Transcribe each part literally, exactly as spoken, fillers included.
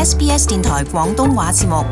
S B S 電台廣東話節目。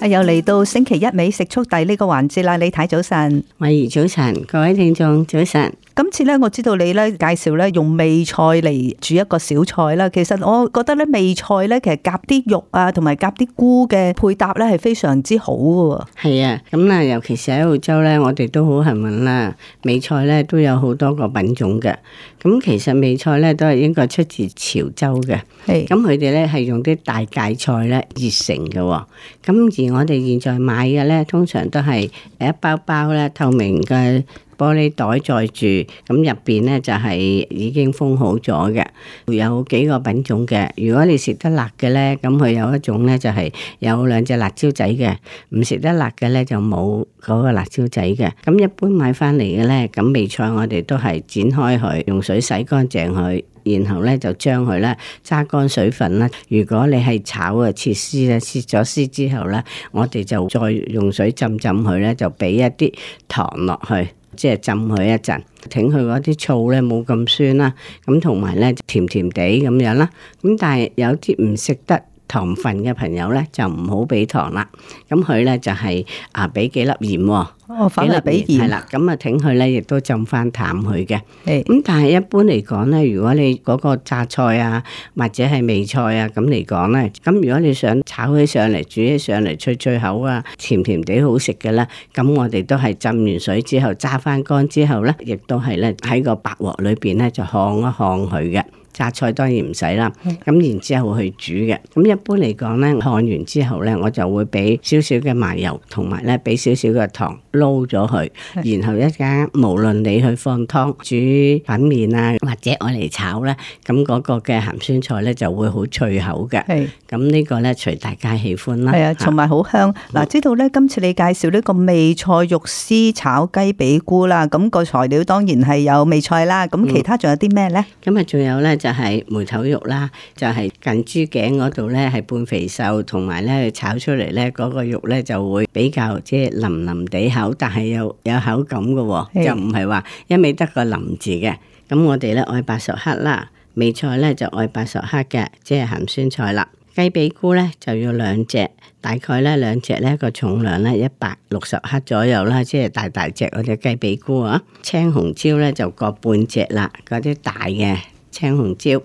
又嚟到星期一美食速遞呢個環節啦，李太早晨，慧怡早晨，各位聽眾早晨。今次咧，我知道你咧介紹咧用味菜嚟煮一個小菜啦。其實我覺得咧味菜咧，其實夾啲肉啊，同埋夾啲菇嘅配搭咧係非常之好嘅。係啊，咁啊，尤其是喺澳洲咧，我哋都好幸運啦。味菜咧都有好多個品種嘅。咁其實味菜咧都係應該出自潮州嘅。係。咁佢哋咧係用啲大芥菜咧熱成嘅。咁而我哋現在買嘅咧，通常都係一包包咧透明嘅玻璃袋載住，咁入邊咧就係已經封好咗嘅，有幾個品種嘅。如果你食得辣嘅咧，咁佢有一種咧就係有兩隻辣椒仔嘅，唔食得辣嘅咧就冇嗰個辣椒仔嘅。咁一般買翻嚟嘅咧，咁味菜我哋都係剪開佢，用水洗乾淨佢。然後咧就將佢咧揸乾水分啦。如果你係炒啊切絲咧，切咗絲之後咧，我哋就再用水浸浸佢咧，就俾一啲糖落去，即係浸佢一陣，挺佢嗰啲醋咧冇咁酸啦。咁同埋咧甜甜地咁樣啦。咁但係有啲唔食得糖分嘅朋友咧，就唔好俾糖啦。咁佢咧就係啊俾幾粒鹽喎。哦，反而俾鹽係啦，咁啊，挺佢咧，亦都浸翻淡佢嘅。咁但係一般嚟講咧，如果你嗰個榨菜啊，或者係味菜啊，咁嚟講咧，咁如果你想炒起上嚟、煮起上嚟脆脆口啊、甜甜地好食嘅咧，咁我哋都係浸完水之後揸翻乾之後咧，亦都係咧喺個白鑊裏邊咧就烘一烘佢嘅。榨菜當然唔使啦，咁然之後去煮嘅。咁一般嚟講咧，烘完之後咧，我就會俾少少嘅麻油，同埋咧俾少少嘅糖撈咗佢。然後一間無論你去放湯、煮粉麵啊，或者我嚟炒咧，咁嗰個嘅鹹酸菜咧就會好脆口嘅。係，咁呢個咧隨大家喜歡啦。係啊，同埋好香。嗱、嗯，知道咧今次你介紹呢個味菜肉絲炒雞髀菇啦，咁、個材料當然係有味菜啦。咁其他仲有啲咩咧？咁啊，仲有咧。就係梅頭肉啦，就係、是、近豬頸嗰度咧係半肥瘦，同埋咧炒出嚟咧嗰個肉咧就會比較即係腍腍地口，但係又有口感嘅喎，就唔係話一味得個腍字嘅。咁我哋咧愛八十克啦，味菜咧就愛八十克嘅，即係鹹酸菜啦。雞髀菇咧就要兩隻，大概咧兩隻咧個重量咧一百六十克左右啦，即係大大隻嗰隻雞髀菇啊。青紅椒咧就各半隻啦，嗰啲大嘅。青紅椒，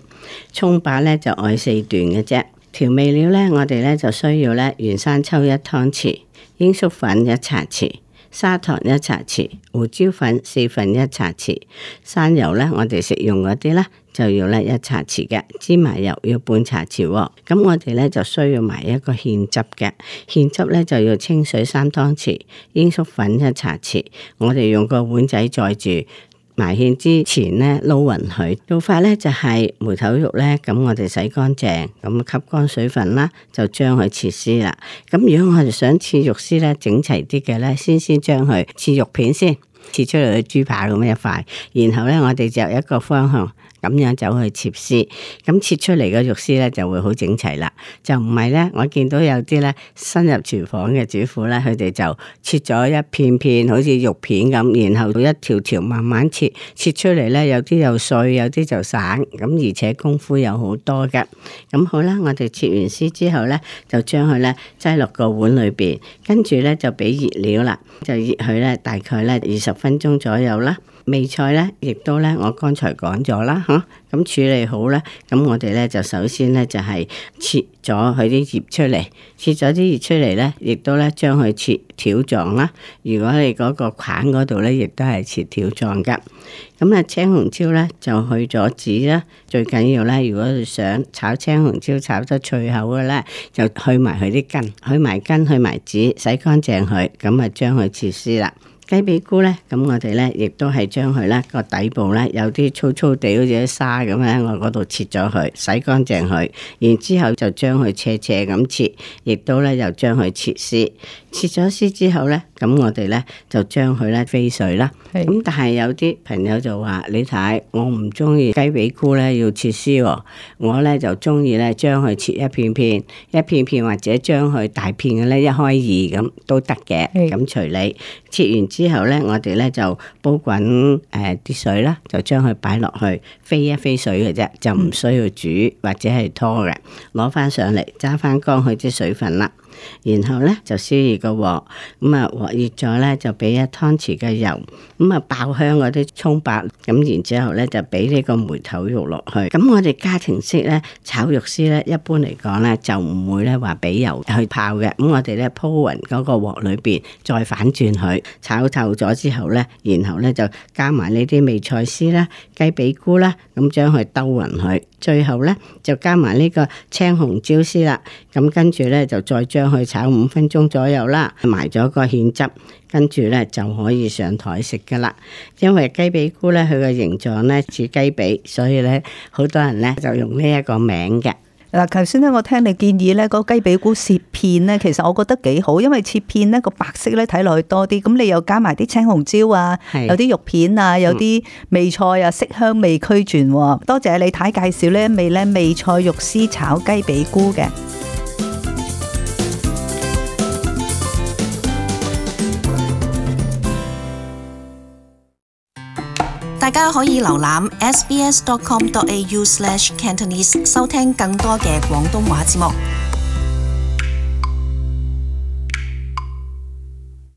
蔥把咧就愛四段嘅啫。調味料咧，我哋咧就需要咧原生抽一湯匙，鷹粟粉一茶匙，砂糖一茶匙，胡椒粉四分一茶匙，生油咧我哋食用嗰啲咧就要咧一茶匙嘅，芝麻油要半茶匙喎。咁我哋咧就需要埋一個芡汁嘅，芡汁咧就要清水三湯匙，鷹粟粉一茶匙，我哋用個碗仔載住。埋芡之前咧撈勻佢，做法咧就係梅頭肉咧，咁我哋洗乾淨，咁吸乾水分啦，就將佢切絲啦。咁如果我哋想切肉絲咧整齊啲嘅咧，先先將佢切肉片先，切出嚟嘅豬扒咁一塊，然後咧我哋就一個方向。咁樣走去切絲，咁切出嚟嘅肉絲咧就會好整齊啦。就唔係咧，我見到有啲咧新入廚房嘅主婦咧，佢哋就切咗一片片，好似肉片咁，然後一條條慢慢切，切出嚟咧有啲又碎，有啲就散，咁而且功夫有好多嘅。咁好啦，我哋切完絲之後咧，就將佢咧擠落個碗裏邊，跟住咧就俾熱料啦，就熱佢咧大概咧二十分鐘左右啦。味菜咧，亦都咧，我剛才講咗啦，嚇、啊，咁處理好咧，咁我哋咧就首先咧就係、是、切咗佢啲葉出嚟，切咗啲葉出嚟咧，亦都咧將佢切條狀啦。如果你嗰個框嗰度咧，亦都係切條狀噶。咁啊，青紅椒咧就去咗籽啦，最緊要咧，如果你想炒青紅椒炒得脆口嘅咧，就去埋佢啲根，去埋根，去埋籽，洗乾淨佢，咁啊將佢切絲啦。雞髀菇咧，咁我哋咧亦都係將佢咧個底部咧有啲粗粗地好似啲沙咁咧，我嗰度切咗佢，洗乾淨佢，然之後就將佢斜斜咁切，亦都咧又將佢切絲。切咗絲之後咧，咁我哋咧就將佢咧飛水啦。係咁但係有啲朋友就話：你睇我唔中意雞髀菇咧要切絲喎，我咧就中意咧將佢切一片片，一片片或者將佢大片嘅咧一開二咁都得嘅。係咁隨你切完之後咧，我哋咧就煲滾誒啲水啦，就將佢擺落去飛一飛水嘅啫，就唔需要煮或者係拖嘅。攞翻上嚟揸翻乾佢啲水分啦。然後咧就燒熱個鑊，咁啊鑊熱咗咧就俾一湯匙嘅油，咁啊爆香嗰啲蔥白，咁然之後咧就俾呢個梅頭肉落去。咁我哋家庭式咧炒肉絲咧，一般嚟講咧就唔會咧話俾油去泡嘅。咁我哋咧鋪勻嗰個鑊裏邊，再反轉佢炒透咗之後咧，然後咧就加埋呢啲味菜絲啦、雞髀菇啦，咁將佢兜勻佢。最後咧就加埋呢個青紅椒絲啦，咁跟住咧就再將佢炒五分鐘左右啦，埋咗個芡汁，跟住咧就可以上台食噶啦。因為雞髀菇咧佢個形狀咧似雞髀，所以咧好多人咧就用呢一個名嘅。嗱，頭先咧我聽你建議咧，嗰雞髀菇切片咧，其實我覺得幾好，因為切片咧個白色咧睇落去多啲，咁你又加埋啲青紅椒啊，係有啲肉片啊，有啲味菜啊，色香味俱全喎。多謝李太介紹呢一味咧味菜肉絲炒雞髀菇嘅。大家可以瀏覽 s b s dot com dot a u slash cantonese 收聽更多嘅廣東話節目。